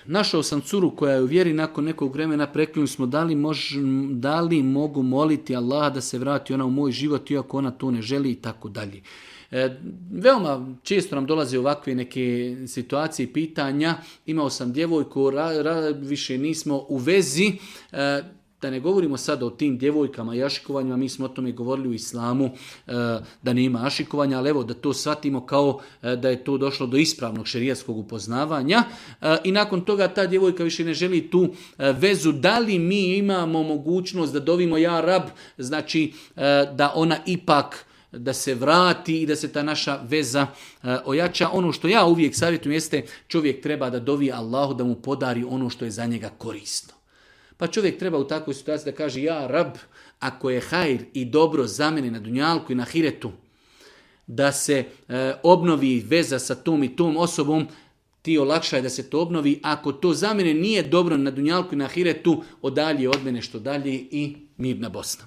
Našao sam curu koja je u vjeri, nakon nekog vremena preklinuli smo da li mogu moliti Allaha da se vrati ona u moj život iako ona to ne želi i tako dalje. Veoma često nam dolaze ovakve neke situacije i pitanja. Imao sam djevojku, više nismo u vezi. Da ne govorimo sada o tim djevojkama i ašikovanjima, mi smo o tome govorili u islamu da nema ašikovanja, ali evo da to shvatimo kao da je to došlo do ispravnog šerijatskog upoznavanja i nakon toga ta djevojka više ne želi tu vezu. Da li mi imamo mogućnost da dovimo ja rab, znači da ona ipak da se vrati i da se ta naša veza ojača. Ono što ja uvijek savjetujem jeste čovjek treba da dovi Allahu da mu podari ono što je za njega korisno. Pa čovjek treba u takvoj situaciji da kaže ja rab, ako je hajr i dobro za mene na dunjalku i na ahiretu, da se obnovi veza sa tom i tom osobom, ti olakšaj da se to obnovi. Ako to za mene nije dobro na dunjalku i na ahiretu, odalje od mene što dalje i mirna Bosna.